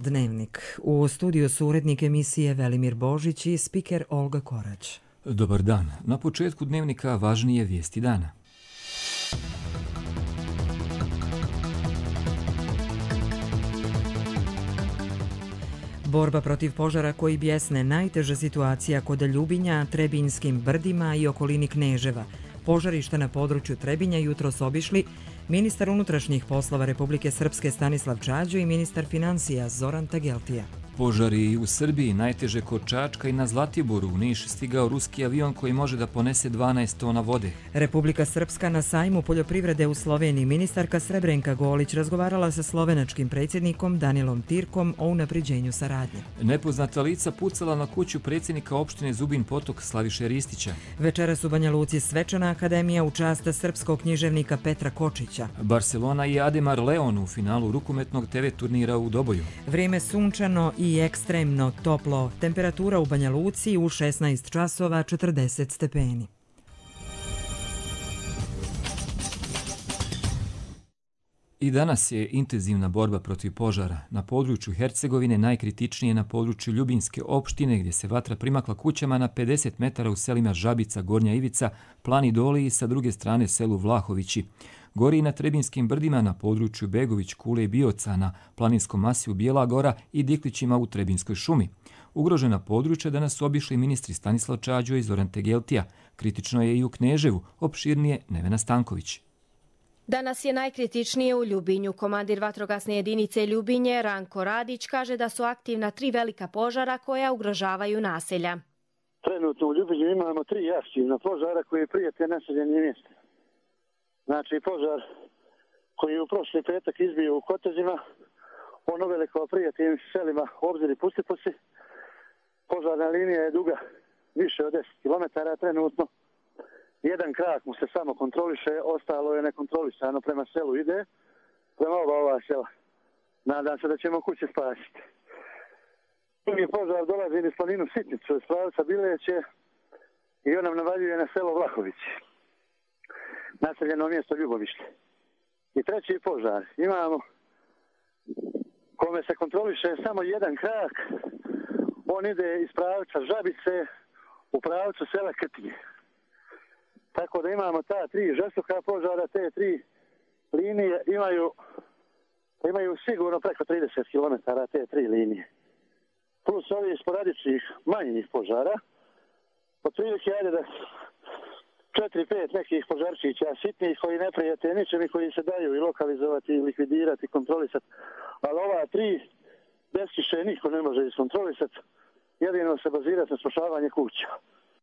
Dnevnik. U studiju su urednik emisije Velimir Božić i spiker Olga Korać. Dobar dan. Na početku Dnevnika važnije vijesti dana. Borba protiv požara koji bjesne najteža situacija kod Ljubinja, Trebinjskim brdima i okolini Kneževa. Požarište na području Trebinja jutros obišli ministar unutrašnjih poslova Republike Srpske Stanislav Čađo i ministar financija Zoran Tageltija. Požari u Srbiji, najteže kod Čačka i na Zlatiboru. U Niš stigao ruski avion koji može da ponese 12 tona vode. Republika Srpska na sajmu poljoprivrede u Sloveniji. Ministarka Srebrenka Golić razgovarala sa slovenačkim predsjednikom Danilom Tirkom o unapređenju saradnje. Nepoznata lica pucala na kuću predsjednika opštine Zubin Potok Slaviše Ristića. Večeras u Banja Luci svečana akademija u čast srpskog književnika Petra Kočića. Barcelona i Ademar Leon u finalu rukometnog TV turnira u Doboju. Vrijeme sunčano i ekstremno toplo. Temperatura u Banja Luci u 16 časova 40 stepeni. I danas je intenzivna borba protiv požara. Na području Hercegovine najkritičnije na području Ljubinjske opštine gdje se vatra primakla kućama na 50 metara u selima Žabica, Gornja Ivica, Plani Doli i sa druge strane selu Vlahovići. Gori i na Trebinjskim brdima na području Begović, Kule i Bioca, na planinskom masiju Bijela Gora i Diklićima u Trebinjskoj šumi. Ugrožena područja danas su obišli ministri Stanislav Čađo i Zoran Tageltija. Kritično je i u Kneževu, opširnije Nevena Stanković. Danas je najkritičnije u Ljubinju. Komandir vatrogasne jedinice Ljubinje, Ranko Radić, kaže da su aktivna 3 velika požara koja ugrožavaju naselja. Trenutno u Ljubinju imamo 3 aktivna požara koji prijete naseljenim mjestima. Znači požar koji je u prošli petak izbio u Kotezima, on uveliko prijateljim selima Obzir i Pustiposi. Požarna linija je duga više od 10 km trenutno. Jedan krak mu se samo kontroliše, ostalo je nekontrolisano, prema selu ide, prema ova sela. Nadam se da ćemo kuće spasiti. Drugi požar dolazi iz planinu Sitnicu, iz pravca Bileće i on nam navaljuje na selo Vlahovići, naseljeno mjesto Ljubovište. I treći požar imamo kome se kontroliše samo jedan krak, on ide iz pravca Žabice u pravcu sela Krtinje. Tako da imamo ta 3 žestoka požara, te 3 linije imaju sigurno preko 30 km te 3 linije. Plus ovih sporadičnih manjih požara, otprilike ajde da 4-5 nekih požarčića sitnih koji ne prijete ničem i koji se daju i lokalizovati, i likvidirati, i kontrolisati. Ali ova 3 bez kiše niko ne može iskontrolisati, jedino se bazirati na spašavanje kuća.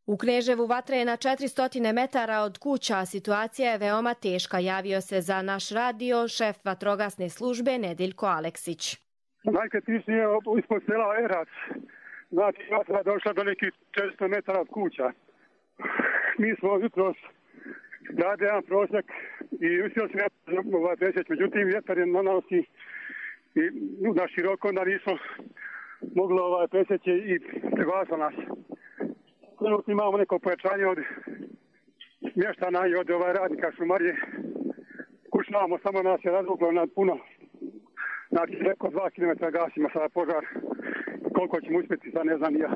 U Kneževu vatra je na 400 metara od kuća, a situacija je veoma teška, javio se za naš radio šef vatrogasne službe Nedeljko Aleksić. Najkritičnije je ispod sela Erac. Znači, vatra došla do nekih 400 metara od kuća. Mi smo jutros radili jedan prosjek i uspio se presjeći, međutim vjetar je nanosi i na široko, onda nismo mogli presjeći i preglasilo nas. Trenutno imamo neko pojačanje od mještana i od radnika šumarije. Kušnjavamo, samo nas je razvuklo na puno. Znači, preko 2 km gasimo sada požar. Koliko ćemo uspjeti, sad ne znam ja.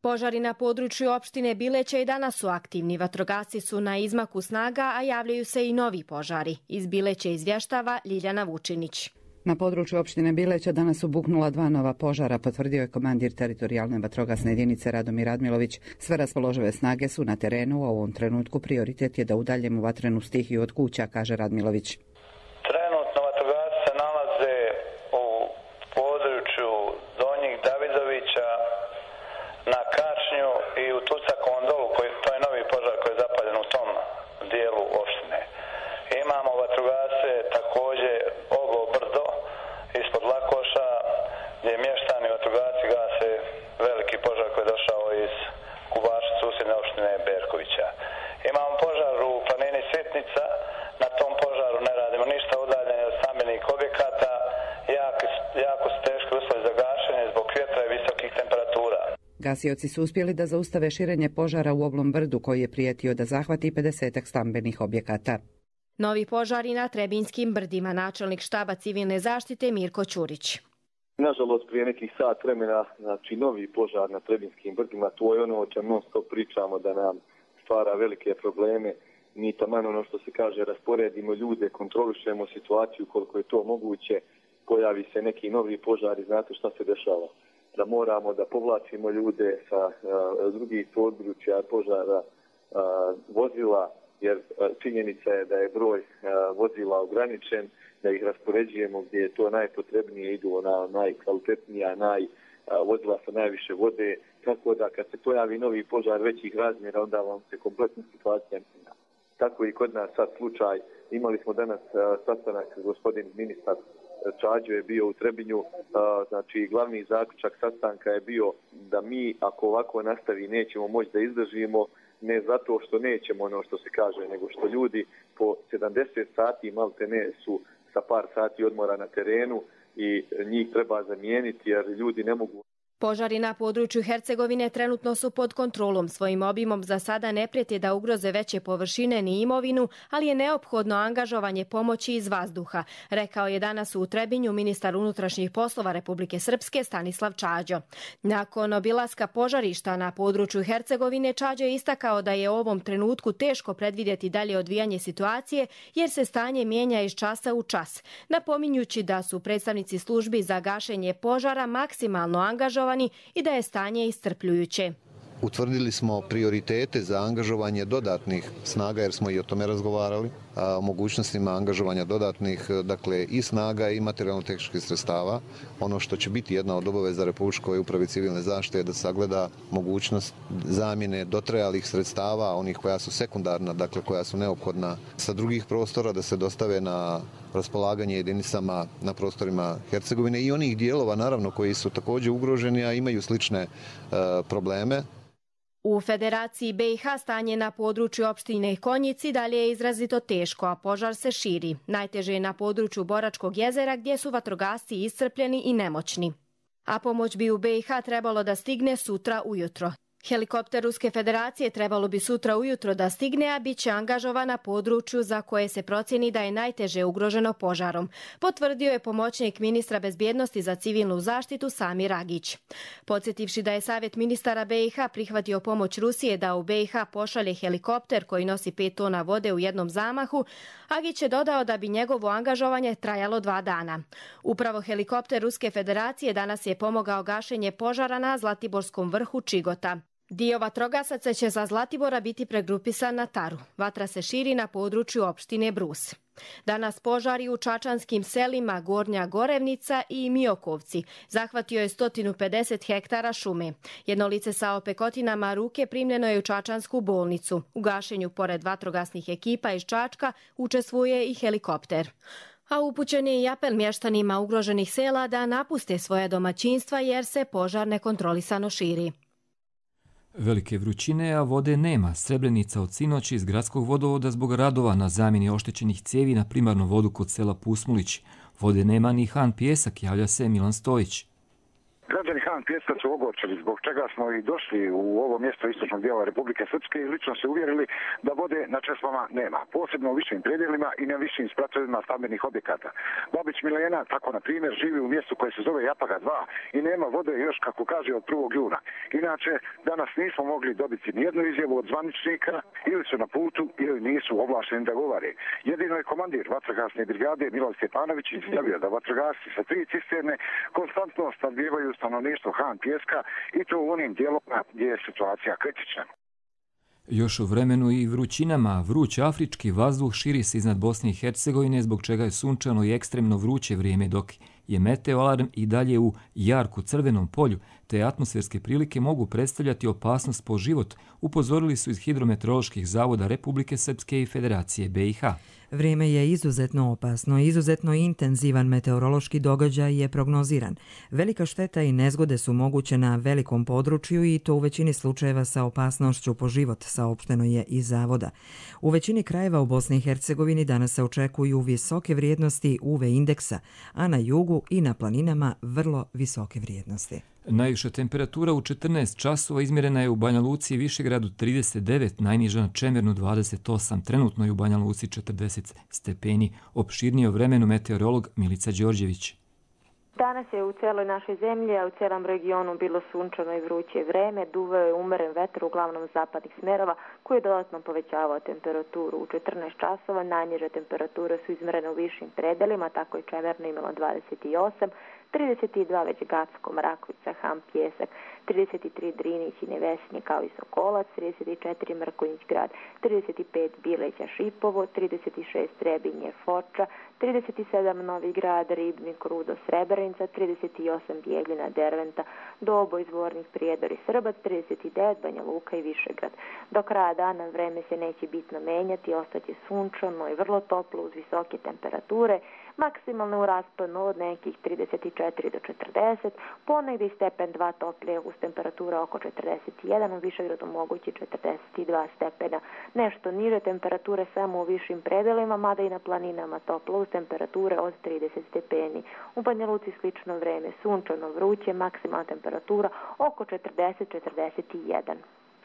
Požari na području opštine Bileće i danas su aktivni. Vatrogasci su na izmaku snaga, a javljaju se i novi požari. Iz Bileće izvještava Ljiljana Vučinić. Na području opštine Bileća danas su buknula 2 nova požara, potvrdio je komandir teritorijalne vatrogasne jedinice Radomir Radmilović. Sve raspoložive snage su na terenu, a u ovom trenutku prioritet je da udaljimo vatrenu stihiju od kuća, kaže Radmilović. Trenutno vatrogasci se nalaze u području Donjih Davidovića, na Kačnju i u Tucakovom dolu, to je novi požar koji je zapaljen u tom dijelu opštine. Imamo vatrogasce također Ogo Brdo ispod Lakoša, gdje mještani vatrogasci gase veliki požar koji je došao iz Kubaša, susjedne opštine Berkovića. Imamo požar u planini Sitnica, na tom požaru ne radimo ništa, udaljenje od stambenih objekata, jako su teški uslovi za gašenje zbog vjetra i visokih temperatura. Gasioci su uspjeli da zaustave širenje požara u Oblom brdu koji je prijetio da zahvati 50 stambenih objekata. Novi požari na Trebinjskim brdima, načelnik štaba civilne zaštite Mirko Ćurić. Nažalost, prije nekih sat vremena, znači novi požar na Trebinskim brdima, to je ono o čem non stop pričamo da nam stvara velike probleme. Mi taman ono što se kaže, rasporedimo ljude, kontrolišemo situaciju koliko je to moguće, pojavi se neki novi požar i znate šta se dešava. Da moramo da povlačimo ljude sa drugih područja požara, vozila, jer činjenica je da je broj vozila ograničen, da ih raspoređujemo gdje je to najpotrebnije, idu na najkvalitetnija, vozila sa najviše vode, tako da kad se pojavi novi požar većih razmjera, onda vam se kompletna situacija mijenja. Tako i kod nas sad slučaj, imali smo danas sastanak, gospodin ministar Čađo je bio u Trebinju, znači glavni zaključak sastanka je bio da mi ako ovako nastavi nećemo moći da izdržimo, ne zato što nećemo ono što se kaže, nego što ljudi po 70 sati malte ne su sa par sati odmora na terenu i njih treba zamijeniti jer ljudi ne mogu. Požari na području Hercegovine trenutno su pod kontrolom. Svojim obimom za sada ne prijeti da ugroze veće površine ni imovinu, ali je neophodno angažovanje pomoći iz vazduha, rekao je danas u Trebinju ministar unutrašnjih poslova Republike Srpske Stanislav Čađo. Nakon obilaska požarišta na području Hercegovine, Čađo je istakao da je u ovom trenutku teško predvidjeti dalje odvijanje situacije jer se stanje mijenja iz časa u čas, napominjući da su predstavnici službi za gašenje požara maksimalno angažovani i da je stanje iscrpljujuće. Utvrdili smo prioritete za angažovanje dodatnih snaga jer smo i o tome razgovarali, o mogućnostima angažovanja dodatnih, dakle i snaga i materijalno-tehničkih sredstava. Ono što će biti jedna od obaveza Republičkoj upravi civilne zaštite je da sagleda mogućnost zamjene dotrajalih sredstava, onih koja su sekundarna, dakle koja su neophodna sa drugih prostora, da se dostave na raspolaganje jedinicama na prostorima Hercegovine i onih dijelova naravno koji su također ugroženi, a imaju slične probleme. U Federaciji BiH stanje na području opštine Konjici dalje je izrazito teško, a požar se širi. Najteže je na području Boračkog jezera gdje su vatrogasci iscrpljeni i nemoćni. A pomoć bi u BiH trebalo da stigne sutra ujutro. Helikopter Ruske federacije trebalo bi sutra ujutro da stigne, a bit će angažovan na području za koje se procjeni da je najteže ugroženo požarom, potvrdio je pomoćnik ministra bezbjednosti za civilnu zaštitu Samir Agić. Podsjetivši da je Savjet ministara BiH prihvatio pomoć Rusije da u BiH pošalje helikopter koji nosi 5 tona vode u jednom zamahu, Agić je dodao da bi njegovo angažovanje trajalo 2 dana. Upravo helikopter Ruske federacije danas je pomogao gašenje požara na Zlatiborskom vrhu Čigota. Dio vatrogasaca će za Zlatibora biti pregrupisan na Taru. Vatra se širi na području opštine Brus. Danas požari u čačanskim selima Gornja Gorevnica i Miokovci. Zahvatio je 150 hektara šume. Jedno lice sa opekotinama ruke primljeno je u čačansku bolnicu. U gašenju, pored vatrogasnih ekipa iz Čačka, učestvuje i helikopter. A upućen je i apel mještanima ugroženih sela da napuste svoje domaćinstva jer se požar nekontrolisano širi. Velike vrućine, a vode nema. Srebrenica od sinoć iz gradskog vodovoda zbog radova na zamjeni oštećenih cijevi na primarnu vodu kod sela Pusmulić. Vode nema ni Han Pijesak, javlja se Milan Stojić. Građani Han Pijeska su ogorčeni, zbog čega smo i došli u ovo mjesto istočnog dijela Republike Srpske i lično se uvjerili da vode na česmama nema, posebno u višim predjelima i na višim spratovima stambenih objekata. Babić Milena, tako na primjer, živi u mjestu koje se zove Japaga 2 i nema vode još, kako kaže, od 1. juna. Inače, danas nismo mogli dobiti nijednu izjavu od zvaničnika, ili su na putu ili nisu ovlašteni da govore. Jedino je komandir vatrogasne brigade Miloj Stjepanović izjavio da vatrogasci sa 3 cisterne konstantno snabdijevaju stanovništvo Han Pijeska i to u onim dijelovima gdje je situacija kritična. Još u vremenu i vrućinama, vruć afrički vazduh širi se iznad Bosne i Hercegovine, zbog čega je sunčano i ekstremno vruće vrijeme, dok je meteoalarm i dalje u jarku crvenom polju, te atmosferske prilike mogu predstavljati opasnost po život, upozorili su iz hidrometeoroloških zavoda Republike Srpske i Federacije BiH. Vrijeme je izuzetno opasno, izuzetno intenzivan meteorološki događaj je prognoziran. Velika šteta i nezgode su moguće na velikom području i to u većini slučajeva sa opasnošću po život, saopšteno je iz zavoda. U većini krajeva u Bosni i Hercegovini danas se očekuju visoke vrijednosti UV indeksa, a na jugu i na planinama vrlo visoke vrijednosti. Najviša temperatura u 14 časova izmjerena je u Banja Luci i Višegradu 39, najniža na Čemernu 28, trenutno je u Banja Luci 40 stepeni. Opširnije o vremenu meteorolog Milica Đorđević. Danas je u celoj našoj zemlji, a u celom regionu bilo sunčano i vruće vreme, duvao je umeren vetar uglavnom zapadnih smerova koji je dodatno povećavao temperaturu. U 14 časova najniže temperature su izmerene u višim predelima, tako je Čemerno imalo 28, 32 već Gacko, Mrakovica, Ham, Pjesak, 33 Drinić i Nevesinje kao i Sokolac, 34 Mrkonjić grad, 35 Bileća, Šipovo, 36 Trebinje, Foča, 37 Novi grad, Ribnik, Rudo, Srebrenica, 38 Bijeljina, Derventa, Doboj, Zvornik, Prijedor i Srbac, 39 Banja Luka i Višegrad. Do kraja dana vreme se neće bitno menjati, ostaće sunčano i vrlo toplo uz visoke temperature, maksimalno u rasponu od nekih 34 do 40, ponegdje stepen 2 toplije uz temperatura oko 41, u Višegradu mogući 42 stepena. Nešto niže temperature samo u višim predelima, mada i na planinama toplo uz temperature od 30 stepeni. U Banja Luci slično vreme, sunčano, vruće, maksimalna temperatura oko 40-41.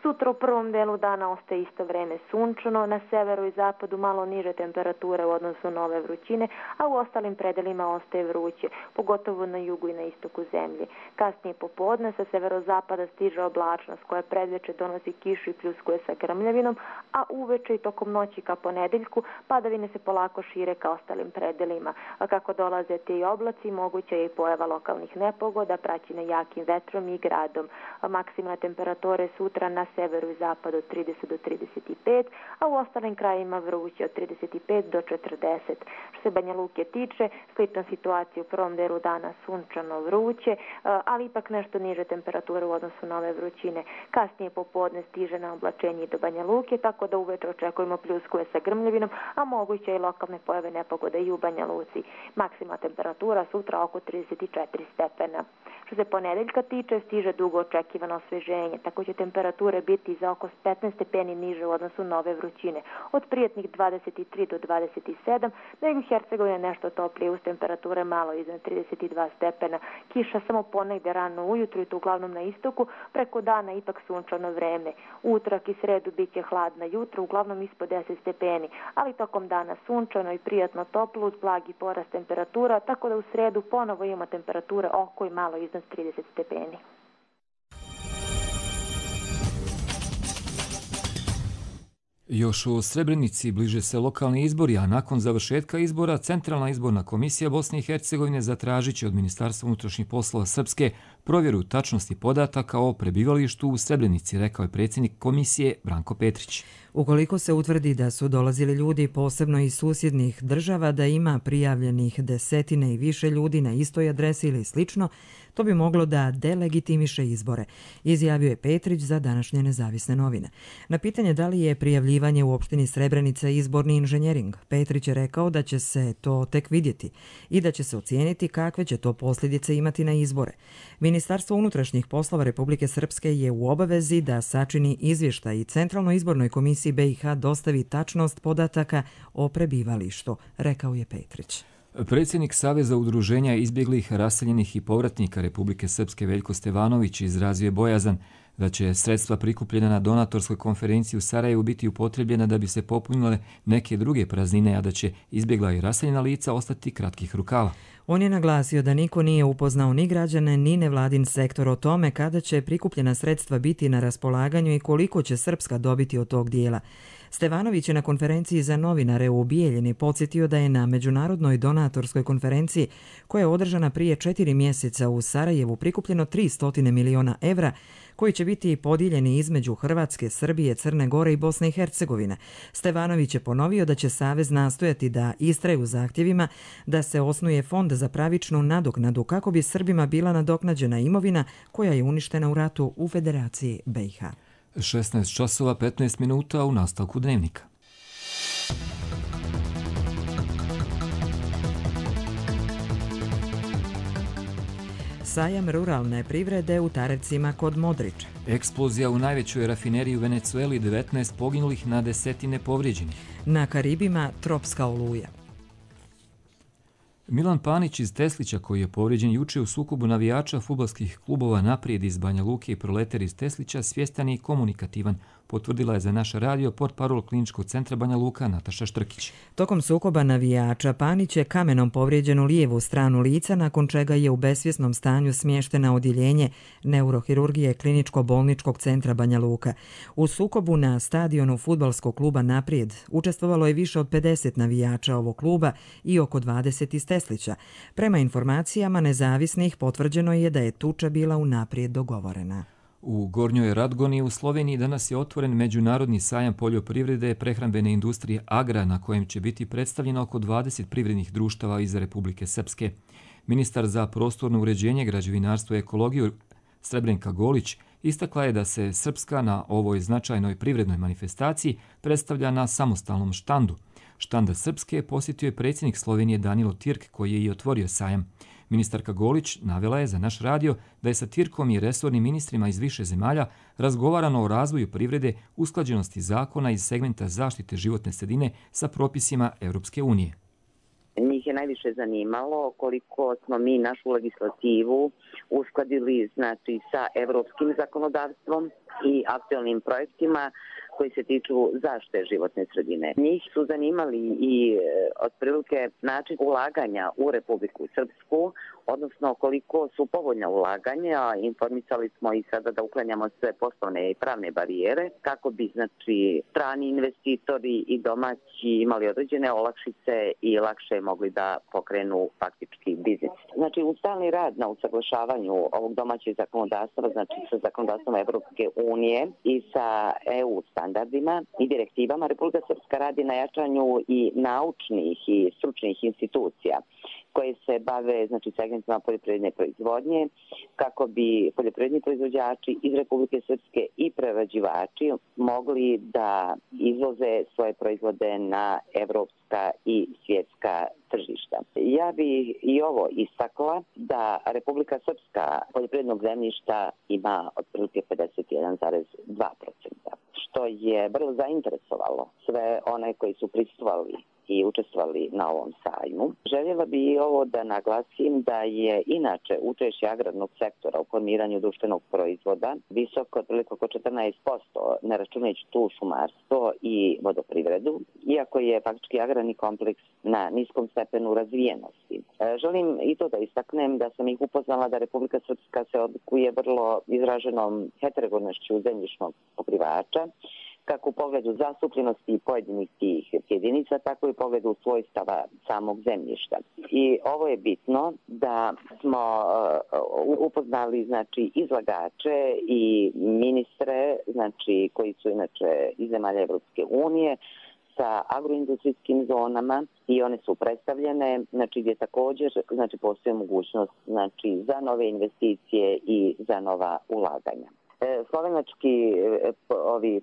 Sutra u prvom delu dana ostaje isto vreme sunčano, na severu i zapadu malo niže temperature u odnosu na ove vrućine, a u ostalim predelima ostaje vruće, pogotovo na jugu i na istoku zemlje. Kasnije popodne sa severozapada stiže oblačnost koja predveče donosi kišu i pljuskuje sa grmljavinom, a uveče i tokom noći ka ponedeljku padavine se polako šire ka ostalim predelima. A kako dolaze ti oblaci, moguća je i pojava lokalnih nepogoda, praćene jakim vetrom i gradom. Maksimalne temperature sutra na severu i zapadu od 30 do 35, a u ostalim krajima vruće od 35 do 40. Što se Banja Luke tiče, slična situacija u prvom delu dana sunčano vruće, ali ipak nešto niže temperature u odnosu na ove vrućine. Kasnije popodne stiže na oblačenje do Banja Luke, tako da uveče očekujemo pljuskuje sa grmljavinom, a moguće i lokalne pojave nepogode i u Banja Luci. Maksimalna temperatura sutra oko 34 stepena. Što se ponedeljka tiče, stiže dugo očekivano osveženje, tako će temperature biti za oko 15 stepeni niže u odnosu na ove vrućine. Od prijetnih 23 do 27, na jugu Hercegovine nešto toplije uz temperature malo iznad 32 stepena. Kiša samo ponegde rano ujutru i to uglavnom na istoku, preko dana ipak sunčano vreme. Utorak i sredu bit će hladna jutro, uglavnom ispod 10 stepeni, ali tokom dana sunčano i prijatno toplo uz blagi porast temperatura, tako da u sredu ponovo ima temperature oko i malo iznad 30 stepeni. Još u Srebrenici bliže se lokalni izbori, a nakon završetka izbora Centralna izborna komisija Bosne i Hercegovine zatražit će od Ministarstva unutrašnjih poslova Srpske provjeru tačnosti podataka o prebivalištu u Srebrenici, rekao je predsjednik komisije Branko Petrić. Ukoliko se utvrdi da su dolazili ljudi posebno iz susjednih država, da ima prijavljenih desetine i više ljudi na istoj adresi ili slično, to bi moglo da delegitimiše izbore, izjavio je Petrić za današnje Nezavisne novine. Na pitanje da li je prijavljivanje u opštini Srebrenica izborni inženjering, Petrić je rekao da će se to tek vidjeti i da će se ocijeniti kakve će to posljedice imati na izbore. Ministarstvo unutrašnjih poslova Republike Srpske je u obavezi da sačini izvještaj i Centralnoj izbornoj komisiji BiH dostavi tačnost podataka o prebivalištu, rekao je Petrić. Predsjednik Saveza udruženja izbjeglih, raseljenih i povratnika Republike Srpske Veljko Stevanović izrazio je bojazan da će sredstva prikupljena na donatorskoj konferenciji u Sarajevu biti upotrebljena da bi se popunile neke druge praznine, a da će izbjegla i raseljena lica ostati kratkih rukava. On je naglasio da niko nije upoznao ni građane ni nevladin sektor o tome kada će prikupljena sredstva biti na raspolaganju i koliko će Srpska dobiti od tog dijela. Stevanović je na konferenciji za novinare u Bijeljini podsjetio da je na međunarodnoj donatorskoj konferenciji koja je održana prije 4 mjeseca u Sarajevu prikupljeno 300 miliona evra koji će biti podijeljeni između Hrvatske, Srbije, Crne Gore i Bosne i Hercegovine. Stevanović je ponovio da će Savez nastojati da istraje u zahtjevima da se osnuje fond za pravičnu nadoknadu kako bi Srbima bila nadoknađena imovina koja je uništena u ratu u Federaciji BiH. 16 časova 15 minuta u nastavku dnevnika. Sajam ruralne privrede u Tarecima kod Modriča. Eksplozija u najvećoj rafineriji u Venecueli, 19 poginulih na desetine povrijeđenih. Na Karibima tropska oluja. Milan Panić iz Teslića, koji je povrijeđen juče u sukobu navijača fudbalskih klubova Naprijed iz Banja Luke i Proleter iz Teslića, svjestan i komunikativan. potvrdila je za naš radio portparol Kliničkog centra Banja Luka Nataša Štrkić. Tokom sukoba navijača Panić je kamenom povrijeđenu lijevu stranu lica, nakon čega je u besvjesnom stanju smještena odjeljenje neurohirurgije Kliničko-bolničkog centra Banja Luka. U sukobu na stadionu fudbalskog kluba Naprijed učestvovalo je više od 50 navijača ovog kluba i oko 20 iz Teslića. Prema informacijama nezavisnih potvrđeno je da je tuča bila unaprijed dogovorena. U Gornjoj Radgoni u Sloveniji danas je otvoren Međunarodni sajam poljoprivrede, prehrambene industrije Agra, na kojem će biti predstavljeno oko 20 privrednih društava iz Republike Srpske. Ministar za prostorno uređenje, građevinarstvo i ekologiju Srebrenka Golić istakla je da se Srpska na ovoj značajnoj privrednoj manifestaciji predstavlja na samostalnom štandu. Štanda Srpske posjetio je predsjednik Slovenije Danilo Tirk, koji je i otvorio sajam. Ministarka Golić navela je za naš radio da je sa Tirkom i resornim ministrima iz više zemalja razgovarano o razvoju privrede, usklađenosti zakona iz segmenta zaštite životne sredine sa propisima Europske unije. Njih je najviše zanimalo koliko smo mi našu legislativu uskladili sa evropskim zakonodavstvom i aktualnim projektima koji se tiču zaštite životne sredine. Njih su zanimali i otprilike način ulaganja u Republiku Srpsku, odnosno koliko su povoljna ulaganja. Informisali smo i sada da uklanjamo sve poslovne i pravne barijere kako bi strani investitori i domaći imali određene olakšice i lakše mogli da pokrenu faktički biznis. U stalni rad na usaglašavanju ovog domaćeg zakonodavstva, sa zakonodavstvom Evropske unije i sa EU standardima i direktivama, Republika Srpska radi na jačanju i naučnih i stručnih institucija koje se bave segmentima poljoprivredne proizvodnje, kako bi poljoprivredni proizvođači iz Republike Srpske i prerađivači mogli da izvoze svoje proizvode na evropska i svjetska tržišta. Ja bih i ovo istakla da Republika Srpska poljoprivrednog zemljišta ima otprilike 51,2%, što je vrlo zainteresovalo sve one koji su prisustvovali i učestvovali na ovom sajmu. Željela bi i ovo da naglasim da je inače učešće agrarnog sektora u formiranju društvenog proizvoda visoko, otprilike oko 14%, ne računajući tu šumarstvo i vodoprivredu, iako je faktički agrarni kompleks na niskom stepenu razvijenosti. Želim i to da istaknem da sam ih upoznala da Republika Srpska se odlikuje vrlo izraženom heterogenošću zemljišnog pokrivača, kako u pogledu zastupljenosti pojedinih tih jedinica, tako i u pogledu svojstava samog zemljišta. I ovo je bitno da smo upoznali izlagače i ministre, koji su inače iz zemalja Evropske unije, sa agroindustrijskim zonama i one su predstavljene, gdje također postoji mogućnost za nove investicije i za nova ulaganja. Slovenački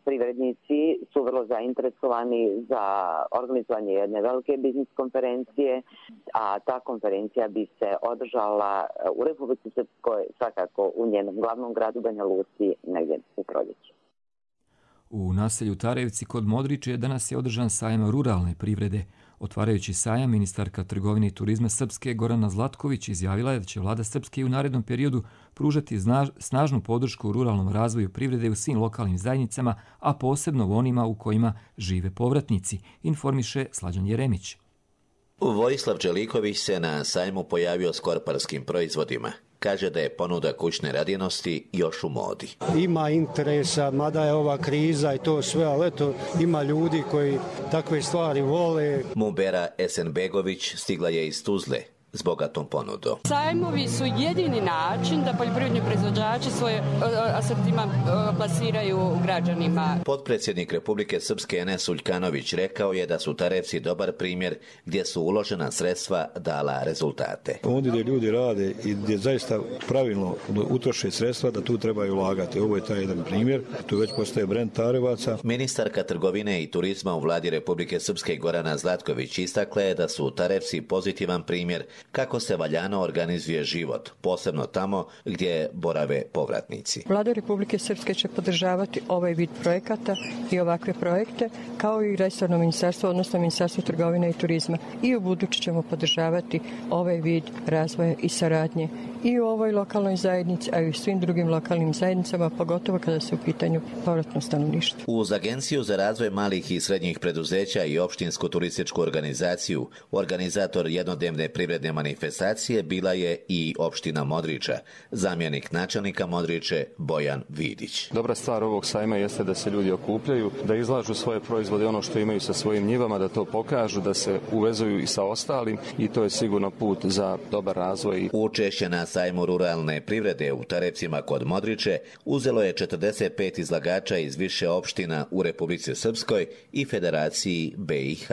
privrednici su vrlo zainteresovani za organizovanje jedne velike biznis konferencije, a ta konferencija bi se održala u Republici Srpskoj, svakako u njenom glavnom gradu Banja Luci, negdje u proljeće. U naselju Tarevci kod Modriče danas je održan sajam ruralne privrede. Otvarajući sajam, ministarka trgovine i turizma Srpske Gorana Zlatković izjavila je da će vlada Srpske u narednom periodu pružati snažnu podršku ruralnom razvoju privrede u svim lokalnim zajednicama, a posebno u onima u kojima žive povratnici, informiše Slađan Jeremić. Vojislav Čeliković se na sajmu pojavio s korparskim proizvodima. Kaže da je ponuda kućne radinosti još u modi. Ima interesa, mada je ova kriza i to sve, ali ima ljudi koji takve stvari vole. Mumbera Esenbegović stigla je iz Tuzle s bogatom ponudom. Sajmovi su jedini način da poljoprivredni proizvođači svoje asortiman plasiraju građanima. Potpredsjednik Republike Srpske Enes Uljkanović rekao je da su Tarevci dobar primjer gdje su uložena sredstva dala rezultate. Ondje gdje ljudi rade i gdje zaista pravilno utroše sredstva, da tu trebaju ulagati. Ovo je taj jedan primjer. Tu već postaje brend Tarevaca. Ministarka trgovine i turizma u vladi Republike Srpske Gorana Zlatković istakla je da su Tarevci pozitivan primjer kako se valjano organizuje život, posebno tamo gdje borave povratnici. Vlada Republike Srpske će podržavati ovaj vid projekata i ovakve projekte, kao i resorno ministarstvo, odnosno Ministarstvo trgovine i turizma. I u buduće ćemo podržavati ovaj vid razvoja i saradnje i u ovoj lokalnoj zajednici, a i u svim drugim lokalnim zajednicama, pogotovo kada se u pitanju povratno stanovništvo. Uz Agenciju za razvoj malih i srednjih preduzeća i opštinsku turističku organizaciju, organizator jednodnevne privredne manifestacije bila je i opština Modriča. Zamjenik načelnika Modriče Bojan Vidić. Dobra stvar ovog sajma jeste da se ljudi okupljaju, da izlažu svoje proizvode, ono što imaju sa svojim njivama, da to pokažu, da se uvezuju i sa ostalim i to je sigurno put za dobar razvoj. Učešće na sajmu ruralne privrede u Tarepcima kod Modriče uzelo je 45 izlagača iz više opština u Republici Srpskoj i Federaciji BiH.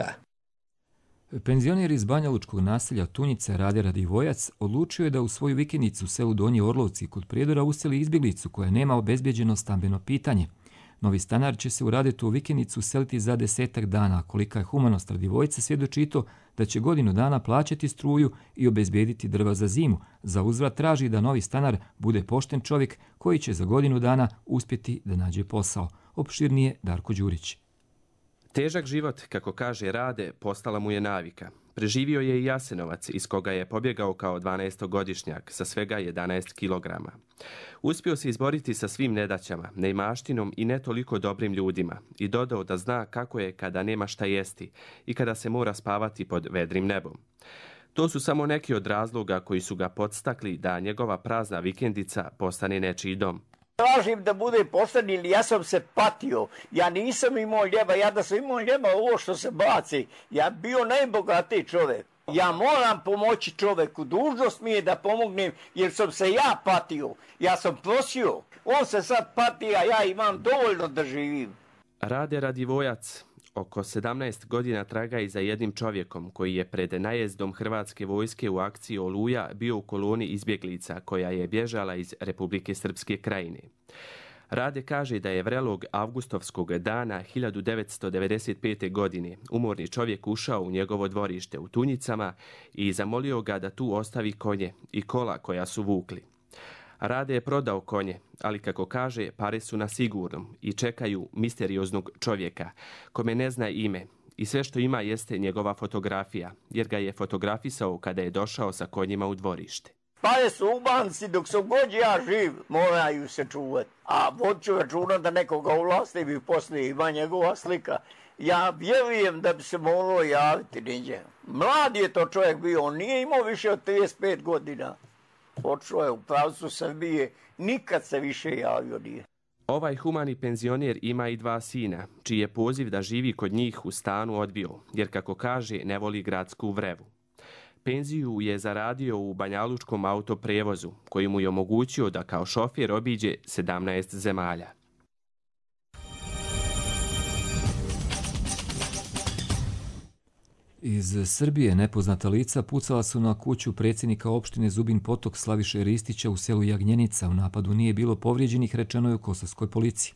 Penzioner iz banjalučkog naselja Tunjice Rade Radivojac odlučio je da u svoju vikendicu u selu Donji Orlovci kod Prijedora useli izbjeglicu koja nema obezbjeđeno stambeno pitanje. Novi stanar će se u Radetu u vikendicu useliti za 10 dana, kolika je humanost Radivojca svjedoči to da će godinu dana plaćati struju i obezbijediti drva za zimu. Za uzvrat traži da novi stanar bude pošten čovjek koji će za godinu dana uspjeti da nađe posao. Opširnije Darko Đurić. Težak život, kako kaže Rade, postala mu je navika. Preživio je i Jasenovac, iz koga je pobjegao kao 12-godišnjak sa svega 11 kilograma. Uspio se izboriti sa svim nedaćama, neimaštinom i ne toliko dobrim ljudima i dodao da zna kako je kada nema šta jesti i kada se mora spavati pod vedrim nebom. To su samo neki od razloga koji su ga podstakli da njegova prazna vikendica postane nečiji dom. Tražim da bude pošten ili ja sam se patio. Ja nisam imao ljeba. Ja da sam imao ljeba ovo što se baci. Ja bio najbogatiji čovjek. Ja moram pomoći čovjeku. Dužnost mi je da pomognem jer sam se ja patio. Ja sam prosio. On se sad pati, a ja imam dovoljno da živim. Rade Radivojac oko 17 godina traga i za jednim čovjekom koji je pred najezdom Hrvatske vojske u akciji Oluja bio u koloni izbjeglica koja je bježala iz Republike Srpske Krajine. Rade kaže da je vrelog avgustovskog dana 1995. godine umorni čovjek ušao u njegovo dvorište u Tunjicama i zamolio ga da tu ostavi konje i kola koja su vukli. Rade je prodao konje, ali kako kaže, pare su na sigurnom i čekaju misterioznog čovjeka, kome ne zna ime. I sve što ima jeste njegova fotografija, jer ga je fotografisao kada je došao sa konjima u dvorište. Pare su u banci, dok sam god ja živ, moraju se čuvati. A vodću računa da nekoga uvlastim i poslije ima njegova slika. Ja vjerujem da bi se moralo javiti niđe. Mlad je to čovjek bio, on nije imao više od 35 godina. Počeo je u pravcu Srbije, nikad se više javio nije. Ovaj humani penzioner ima i 2 sina, čiji je poziv da živi kod njih u stanu odbio, jer kako kaže ne voli gradsku vrevu. Penziju je zaradio u banjalučkom autoprevozu, koji mu je omogućio da kao šofjer obiđe 17 zemalja. Iz Srbije nepoznata lica pucala su na kuću predsjednika opštine Zubin Potok Slaviše Ristića u selu Jagnjenica. U napadu nije bilo povrijeđenih, rečeno je u kosovskoj policiji.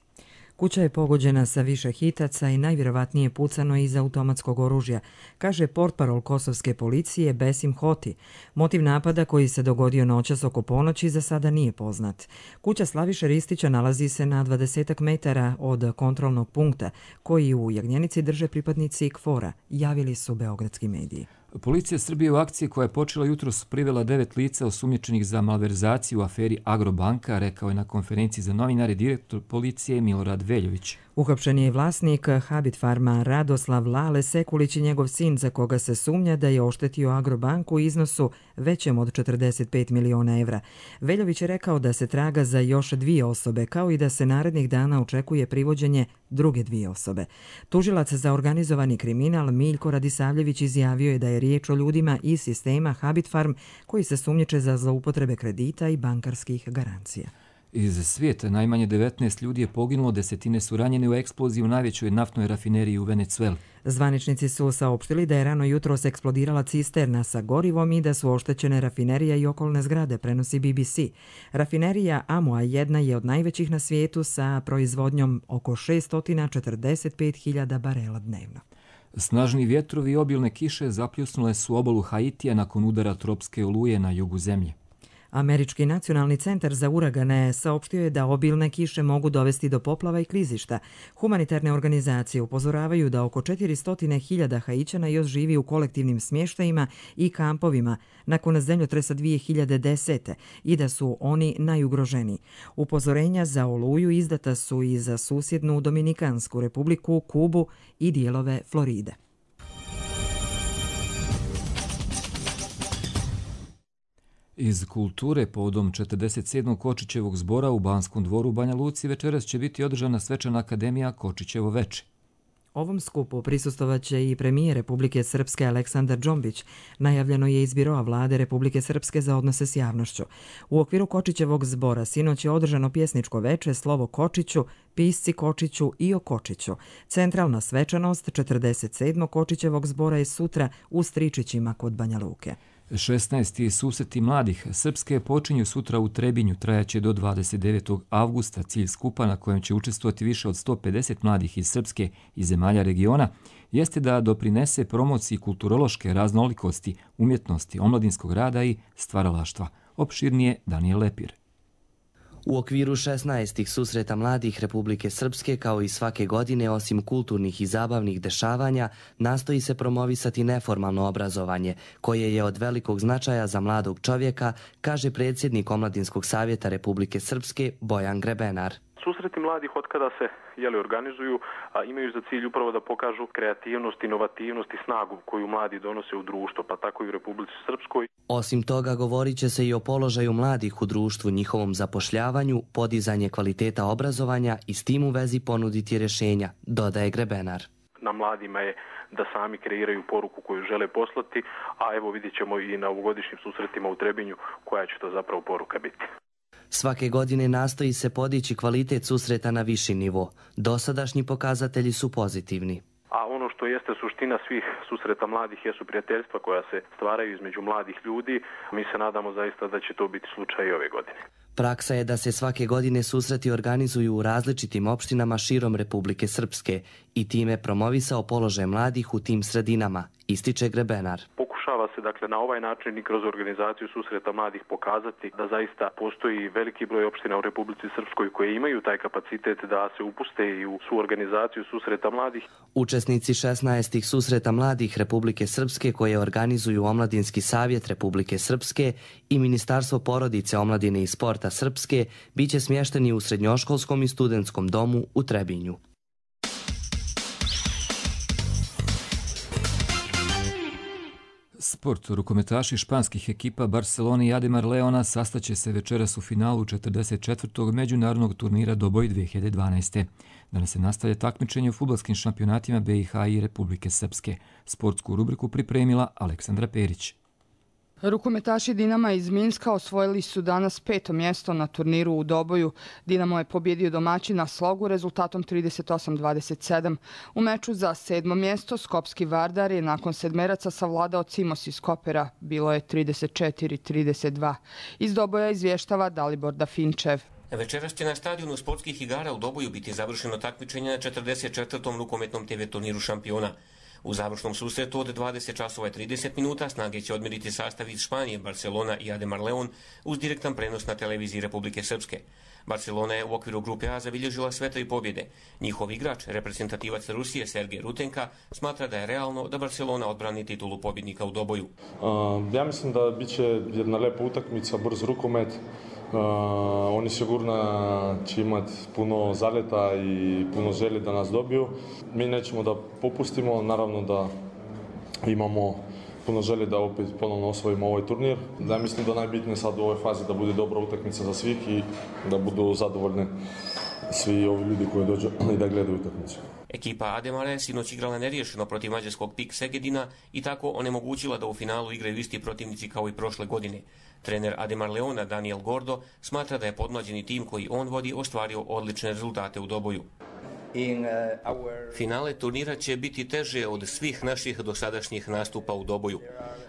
Kuća je pogođena sa više hitaca i najvjerovatnije pucano iz automatskog oružja, kaže portparol kosovske policije Besim Hoti. Motiv napada koji se dogodio noćas oko ponoći za sada nije poznat. Kuća Slaviše Ristića nalazi se na 20 metara od kontrolnog punkta koji u Jagnjenici drže pripadnici KFOR-a, javili su beogradski mediji. Policija Srbije u akciji koja je počela jutros privela 9 lica osumnjičenih za malverzaciju u aferi Agrobanka, rekao je na konferenciji za novinare direktor policije Milorad Veljović. Uhapšen je i vlasnik Habit Farma Radoslav Lale Sekulić i njegov sin za koga se sumnja da je oštetio Agrobanku u iznosu većem od 45 miliona evra. Veljović je rekao da se traga za još 2 osobe, kao i da se narednih dana očekuje privođenje druge 2 osobe. Tužilac za organizovani kriminal Miljko Radisavljević izjavio je da je riječ o ljudima iz sistema Habit Farm koji se sumnjiče za zloupotrebe kredita i bankarskih garancija. Iz svijeta najmanje 19 ljudi je poginulo, 10 su ranjene u eksploziji u najvećoj naftnoj rafineriji u Venecueli. Zvaničnici su saopštili da je rano jutros eksplodirala cisterna sa gorivom i da su oštećene rafinerija i okolne zgrade, prenosi BBC. Rafinerija Amoa 1 je od najvećih na svijetu sa proizvodnjom oko 645.000 barela dnevno. Snažni vjetrovi i obilne kiše zapljusnule su obalu Haitija nakon udara tropske oluje na jugu zemlje. Američki nacionalni centar za uragane saopštio je da obilne kiše mogu dovesti do poplava i klizišta. Humanitarne organizacije upozoravaju da oko 400.000 Haićana još živi u kolektivnim smještajima i kampovima nakon zemljotresa 2010. i da su oni najugroženiji. Upozorenja za oluju izdata su i za susjednu Dominikansku republiku, Kubu i dijelove Floride. Iz kulture povodom 47. Kočićevog zbora u Banskom dvoru u Banja Luci večeras će biti održana svečana akademija Kočićevo veče. Ovom skupu prisustovaće i premijer Republike Srpske Aleksandar Džombić. Najavljeno je iz biroa vlade Republike Srpske za odnose s javnošću. U okviru Kočićevog zbora sinoć je održano pjesničko veče Slovo Kočiću, Pisci Kočiću i o Kočiću. Centralna svečanost 47. Kočićevog zbora je sutra u Stričićima kod Banja Luke. 16. susreti mladih Srpske počinju sutra u Trebinju, trajaće do 29. avgusta. Cilj skupa, na kojem će učestvovati više od 150 mladih iz Srpske i zemalja regiona, jeste da doprinese promociji kulturološke raznolikosti, umjetnosti, omladinskog rada i stvaralaštva. Opširnije Daniel Lepir. U okviru 16. susreta mladih Republike Srpske, kao i svake godine, osim kulturnih i zabavnih dešavanja, nastoji se promovisati neformalno obrazovanje, koje je od velikog značaja za mladog čovjeka, kaže predsjednik Omladinskog savjeta Republike Srpske Bojan Grebenar. Susreti mladih otkada se organizuju, imaju za cilj upravo da pokažu kreativnost, inovativnost i snagu koju mladi donose u društvo, pa tako i u Republici Srpskoj. Osim toga, govorit će se i o položaju mladih u društvu, njihovom zapošljavanju, podizanje kvaliteta obrazovanja i s tim u vezi ponuditi rješenja, dodaje Grebenar. Na mladima je da sami kreiraju poruku koju žele poslati, a evo vidjet ćemo i na ovogodišnjim susretima u Trebinju koja će to zapravo poruka biti. Svake godine nastoji se podići kvalitet susreta na viši nivo. Dosadašnji pokazatelji su pozitivni. A ono što jeste suština svih susreta mladih jesu prijateljstva koja se stvaraju između mladih ljudi. Mi se nadamo zaista da će to biti slučaj i ove godine. Praksa je da se svake godine susreti organizuju u različitim opštinama širom Republike Srpske i time promovisao položaj mladih u tim sredinama, ističe Grebenar. Pokušava se dakle na ovaj način i kroz organizaciju susreta mladih pokazati da zaista postoji veliki broj opština u Republici Srpskoj koje imaju taj kapacitet da se upuste i u suorganizaciju susreta mladih. Učesnici 16. susreta mladih Republike Srpske koje organizuju Omladinski savjet Republike Srpske i Ministarstvo porodice, omladine i sporta Srpske biće smješteni u srednjoškolskom i studentskom domu u Trebinju. Sport. Rukometaši španskih ekipa Barcelone i Ademar Leona sastaće se večeras u finalu 44. međunarodnog turnira Doboj 2012. Danas se nastavlja takmičenje u fudbalskim šampionatima BiH i Republike Srpske. Sportsku rubriku pripremila Aleksandra Perić. Rukometaši Dinama iz Minska osvojili su danas 5. mjesto na turniru u Doboju. Dinamo je pobjedio domaćina Slogu rezultatom 38-27. U meču za 7. mjesto Skopski Vardar je nakon sedmeraca savladao Cimos iz Kopera. Bilo je 34-32. Iz Doboja izvještava Dalibor Dafinčev. Večeras će na stadionu sportskih igara u Doboju biti završeno takmičenje na 44. rukometnom TV turniru šampiona. U završnom susretu od 20 časova i 30 minuta snage će odmjeriti sastav iz Španije, Barcelona i Ademar Leon uz direktan prenos na televiziji Republike Srpske. Barcelona je u okviru grupe A zabilježila sve 3 pobjede. Njihov igrač, reprezentativac Rusije Sergej Rutenka, smatra da je realno da Barcelona odbrani titulu pobjednika u Doboju. Ja mislim da bit će jedna lepa utakmica, brz rukomet. Oni sigurno će imati puno zaleta i puno želje da nas dobiju. Mi nećemo da popustimo, naravno da imamo puno želje da opet ponovno osvojimo ovaj turnir. Ja mislim da najbitnije sad u ovoj fazi da bude dobra utakmica za svih i da budu zadovoljni svi ovi ljudi koji dođu i da gledaju utakmicu. Ekipa Ademara je sinoć igrala neriješeno protiv mađarskog PIK Segedina i tako onemogućila da u finalu igraju isti protivnici kao i prošle godine. Trener Ademar Leona Daniel Gordo smatra da je podmlađeni tim koji on vodi ostvario odlične rezultate u Doboju. Finale turnira će biti teže od svih naših dosadašnjih nastupa u Doboju.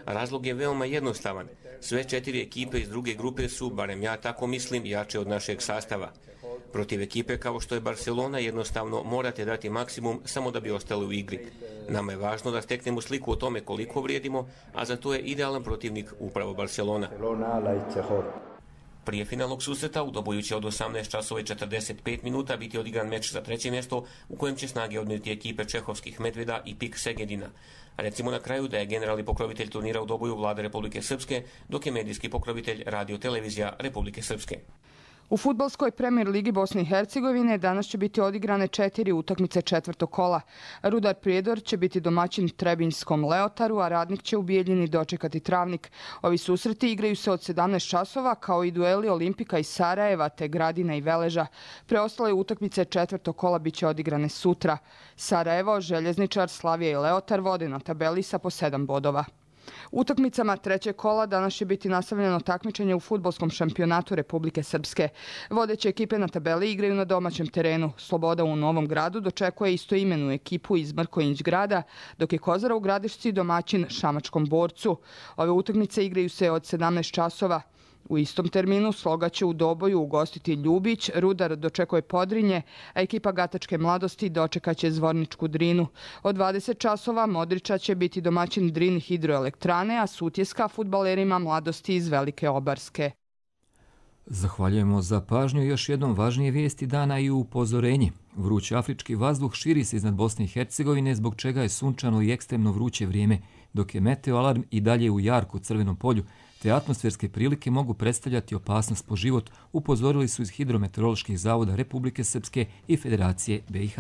Razlog je veoma jednostavan. Sve 4 ekipe iz druge grupe su, barem ja tako mislim, jače od našeg sastava. Protiv ekipe kao što je Barcelona jednostavno morate dati maksimum samo da bi ostali u igri. Nama je važno da steknemo sliku o tome koliko vrijedimo, a za to je idealan protivnik upravo Barcelona. Prije finalnog susreta u Doboju će od 18 časova i 45 minuta biti odigran meč za treće mjesto u kojem će snage odmjeriti ekipe Čehovskih Medveda i PIK Segedina. Recimo na kraju da je generalni pokrovitelj turnira u Doboju Vlada Republike Srpske, dok je medijski pokrovitelj Radio-televizija Republike Srpske. U fudbalskoj premijer ligi Bosne i Hercegovine danas će biti odigrane 4 utakmice četvrtog kola. Rudar Prijedor će biti domaćin Trebinjskom Leotaru, a Radnik će u Bijeljini dočekati Travnik. Ovi susreti igraju se od 17 časova, kao i dueli Olimpika iz Sarajeva te Gradina i Veleža. Preostale utakmice četvrtog kola biće odigrane sutra. Sarajevo, Željezničar, Slavija i Leotar vode na tabeli sa po 7 bodova. Utakmicama trećeg kola danas će biti nastavljeno takmičenje u fudbalskom šampionatu Republike Srpske. Vodeće ekipe na tabeli igraju na domaćem terenu. Sloboda u Novom Gradu dočekuje istoimenu ekipu iz Mrkonjić grada, dok je Kozara u Gradišci domaćin Šamačkom Borcu. Ove utakmice igraju se od 17 časova. U istom terminu Sloga će u Doboju ugostiti Ljubić, Rudar dočekuje Podrinje, a ekipa Gatačke mladosti dočekaće Zvorničku Drinu. Od 20 časova Modriča će biti domaćin Drin hidroelektrane, a Sutjeska fudbalerima mladosti iz Velike Obarske. Zahvaljujemo za pažnju. Još jednom važnije vijesti dana i upozorenje. Vrući afrički vazduh širi se iznad Bosne i Hercegovine, zbog čega je sunčano i ekstremno vruće vrijeme, dok je meteoalarm i dalje u jarku crvenom polju, te atmosferske prilike mogu predstavljati opasnost po život, upozorili su iz hidrometeoroloških zavoda Republike Srpske i Federacije BiH.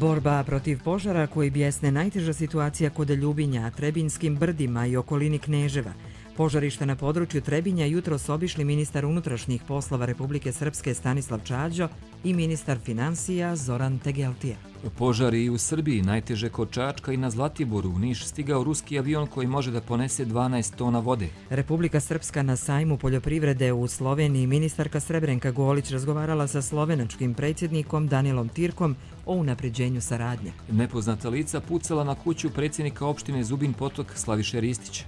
Borba protiv požara koji bijesne najteža situacija kod Ljubinja, Trebinskim brdima i okolini Kneževa. Požarište na području Trebinja jutros obišli ministar unutrašnjih poslova Republike Srpske Stanislav Čađo i ministar financija Zoran Tegeltija. Požari i u Srbiji, najteže kod Čačka i na Zlatiboru. U Niš stigao ruski avion koji može da ponese 12 tona vode. Republika Srpska na sajmu poljoprivrede u Sloveniji. Ministarka Srebrenka Golić razgovarala sa slovenačkim predsjednikom Danilom Tirkom o unapređenju saradnje. Nepoznata lica pucala na kuću predsjednika opštine Zubin Potok Slaviše Ristića.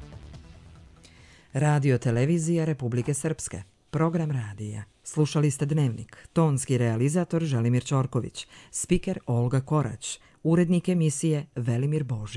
Radio-televizija Republike Srpske. Program radija. Slušali ste Dnevnik. Tonski realizator Želimir Ćorković. Spiker Olga Korać. Urednik emisije Velimir Božić.